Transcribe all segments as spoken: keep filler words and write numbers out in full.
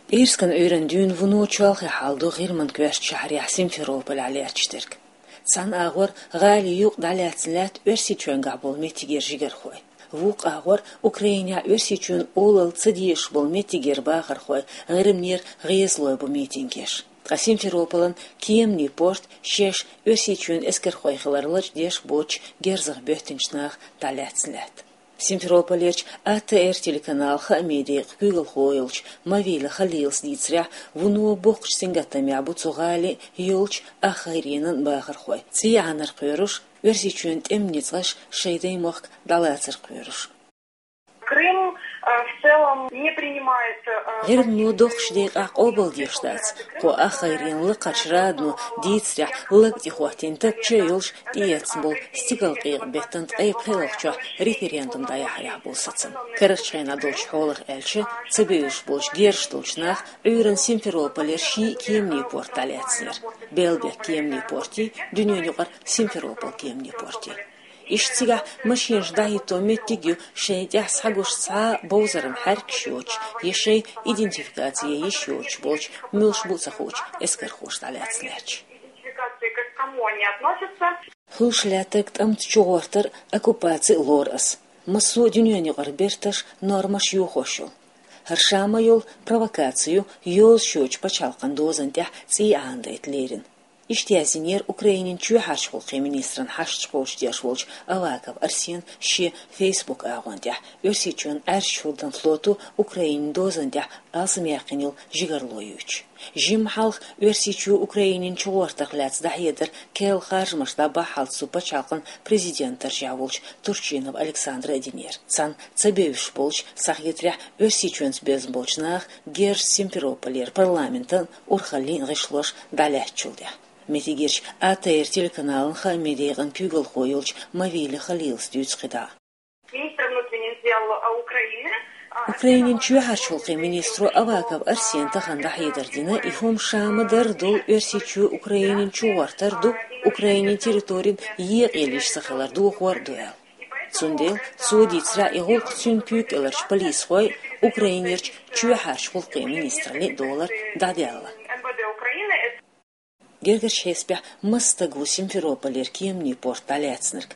ТӀерскан Ӏуьйранна дуьйна вуно чолхе хьал ду ГӀирман коьртачу шахьарехь Симферополехь лаьтташ дерг. Цхьана агӀор гӀалин юкъ дӀалаьцна лаьтта Оьрсийчоьнгахь болу меттигера жигархой. Вукху агӀор Украинехь Оьрсийчоьнан олалла ца дезаш болу меттигера бахархой, ГӀирманера гӀезалой бу митинге еш. Ткъа Симферополан кеманийн порт шаьш Оьрсийчоьнан эскархой хилар лачкъадеш боцуш герзах боьттинчу наха дӀалаьцна лаьтта. Симферополерчу А Т Р телеканалан хаамийн декъан куьйгалхо йолчу Мавила Халилас дийцарехь, вуно боккхачу сингаттамехь бу цу гӀалин йолчу ах гӀайренан бахархой, цӀий Ӏанар кхоьруш, Оьрсийчоьнан тӀеман ницкъаш шайн даймохк дӀалацар кхоьруш. Крым, э, в целом не принимает, э, ГӀирмано доккхачу декъехь къобалдеш дац кху ах гӀайренан лакхарчу радано дийцарехь лаг тӀехӀоттийна тапча а йолуш, тӀеэцна болу стигалкъекъа беттан ткъе пхеалгӀачохь референдум дӀаяхьарехь болу сацам. Карарчу хенахь долчу хьолах аьлча, ца бевзаш болчу герзаш долчу наха Ӏуьйранна Симферополера шиъ кеманийн порт дӀалаьцнера: Белбек кеманийн портий, дуьненан юкъара Симферополь кеманийн портий. Иштта цигахь машенаш дӀахӀитто меттиг а ю шайн тӀехь схьагуш цхьа а бовзаран хьаьркаш йоцуш я шайн идентификаци ян йиш йоцуш болчу, муьлш бу а ца хуучу эскархоша дӀалаьцна лаьтташ. Хуьлуш лаьттарг тӀамца чугӀортар, оккупаци а лору ас. Массо а дуьненан юкъара берташ, нормаш йохош йолу. ХӀара ша ма йолу провокаци ю, йозуш йоцчу пачхьалкхан дозан тӀехь цӀий Ӏанадайта лерина. Иштта яздинера Украинин чоьхьарчу гӀуллакхийн министран хьашташ кхочушдеш волчу Аваков Арсена шен Facebook агӀон тӀехь, Оьрсийчоьнан Ӏаьржачу хӀуддан флото Украинин дозан тӀехь алсамъяьккхина йолу жигарло юьйцуш. Жимма хьалха Оьрсийчоь Украинин чугӀортарх лаьцна дӀахьедар керла харжамаш дӀабаххьалц цу пачхьалкхан президентан даржехь волчу Турчинов Александра а динера. Цхьана ца бевзаш болчу, схьахетарехь, Оьрсийчоьнца безна болчу наха герзаш Симферополера парламентан, урхаллин гӀишлош дӀалаьцначул тӀаьхьа. Меттигерчу А Т Р телеканалан хаамийн декъан куьйгалхо йолчу Мавила Халилас дуьйцу кхидӀа а. Министр внутренних дел, а, Украины, а, Украинин чоьхьарчу гӀуллакхийн министро Аваков Арсена тахана дӀахьедар дина, и хӀума ша ма-дарра долу Оьрсийчоь Украинин чугӀортар ду, Украинин территорина екъаелла йиш ца хилар дохор а ду аьлла. Цундела, цо дийцарехь, и гӀуллакх цуьнан куьйга кӀеларчу полисхой Украинерчу чоьхьарчу гӀуллакхийн министраллин долара дӀадаьлла. М В Д Украины. Гергарчу хьесапехь, масса стаг ву Симферополера кеманийн порт дӀалаьцнарг.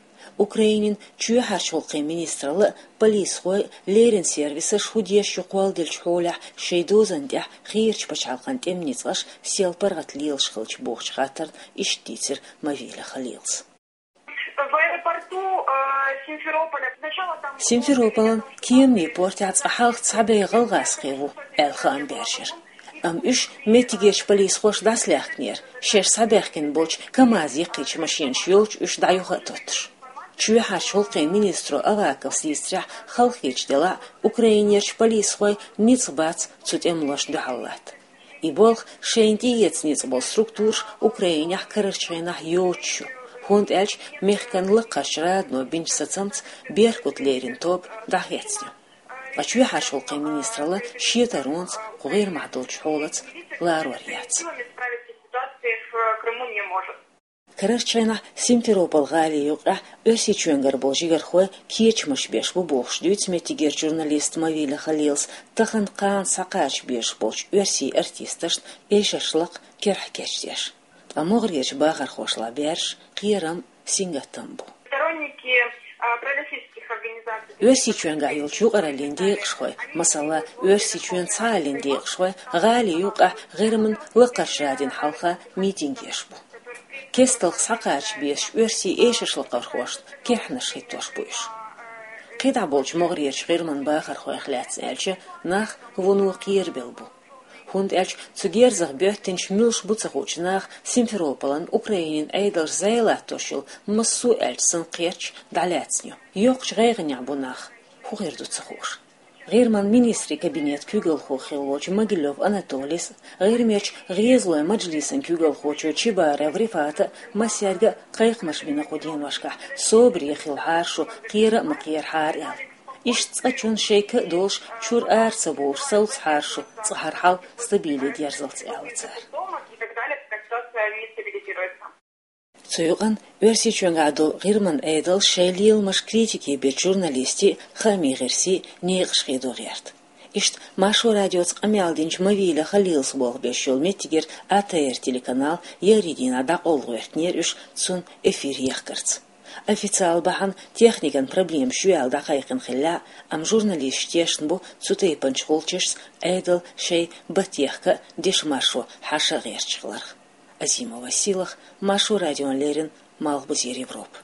Украинин чоьхьарчу гӀуллакхийн министралла а, полисхой а, леррина сервисаш хӀун деш ю кхолладеллачу хьолехь шайн дозан тӀехь хийрачу пачхьалкхан тӀеман ницкъаш сел паргӀат лелаш хилча бохучу хаттарна иштта дийцира Мавила Халилас. В аэропорту, э, Симферополя сначала там... Симферополан кеманийн портехь цкъа хьалха цхьа бӀе гӀалгӀазкхи ву, аьлла хаам баьржира. Амма уьш меттигерчу полисхоша дӀасалаьхкинера, шаьш схьабаьхкина болчу КамАЗ яккхийчу машенаш йолчу уьш дӀаюха а тоттуш. Чоьхьарчу гӀуллакхийн министро Аваковс дийцарехь, халахеташ делахь а, Украинерчу полисхойн ницкъ бац цу тӀемалошна дуьхьал латта. И болх шайна тӀеэца ницкъ болу структураш Украинехь карарчу хенахь йоцуш ю, хӀунда аьлча мехкан лакхарчу радано бинчу сацамца «Беркут» леррина тоба дӀахецна ю. Ткъа чоьхьарчу гӀуллакхийн министралла шен таронца кху ГӀирмахь долчу хьолаца ларор яц. Справиться с ситуацией в Крыму не может. Карарчу хенахь Симферополь гӀалин юкъахь Оьрсийчоьнгара болу жигархой кечамаш беш бу бохуш дуьйцу меттигерчу журналиста Мавила Халилас тахана кхана схьакхача безаш болчу оьрсийн артисташна эшарш лакха кирхьа кечдеш. Ткъа могӀарерчу бахархошлахь баьржаш кхерам, сингаттам бу. Сторонники, а, пророссийских организаций. Оьрсийчоьнгахь йолчу юкъараллин декъашхой, масала, Оьрсийчоьнан цхьааллин декъашхой гӀалин юкъахь ГӀирман лакхарчу радина хьалха митинг еш бу. Кесталх схьакхача безачу оьрсийн эшаршлакхархошна кирхьанаш хӀиттош бу уьш. КхидӀа болчу могӀарерчу ГӀирман бахархойх лаьцна аьлча, нах вуно кхерабелла бу. ХӀунда аьлча цу герзах боьттинчу муьлш бу ца хуучу наха Симферополан Украинин Ӏедалша зӀе латтош йолу массо а аьлча санна кхерч дӀалаьцна ю. Йоккхачу гӀайгӀанехь бу нах, хӀун хир ду ца хууш. ГӀирман министрийн кабинетан куьйгалхо хилла волчу Могилёв Анатолийс, ГӀирмерчу ГӀезалойн мажлисан куьйгалхочо Чебаров Рифата а массаьрга а кхайкхамаш бина кху деношкахь, собаре хилахьара шу, кхера а ма кхерахьара аьлла. Иштта цкъачунна шайн ка а долуш, чуьра ара ца бовлуш, совцахьара шу, цкъа хӀара хьал стабиле дерзалц, аьлла цара. Цу юкъанна Оьрсийчоьнгахь долу ГӀирман Ӏедалш шайн леламаш критике бечу журналистийн, хаамийн гӀирсийн некъаш хедо гӀерта. Иштта Маршо радиоца къамаьл динчу Мавиля Халилас болх беш йолу меттигера А Т Р телеканал еарин дийнахь дӀакъовла гӀоьртинера уьш цуьнан эфир ехкарца. Официалан бахьана техникан проблемаш ю аьлла дӀакхайкхина хилла, амма журналисташ тешна бу цу тайпанчу гӀулчашца Ӏедал шайн баттехка а, дешан маршо хьаша а гӀерташ хиларх. Азимова Силах, Маршо радиона леррина, Малхбузера Европа.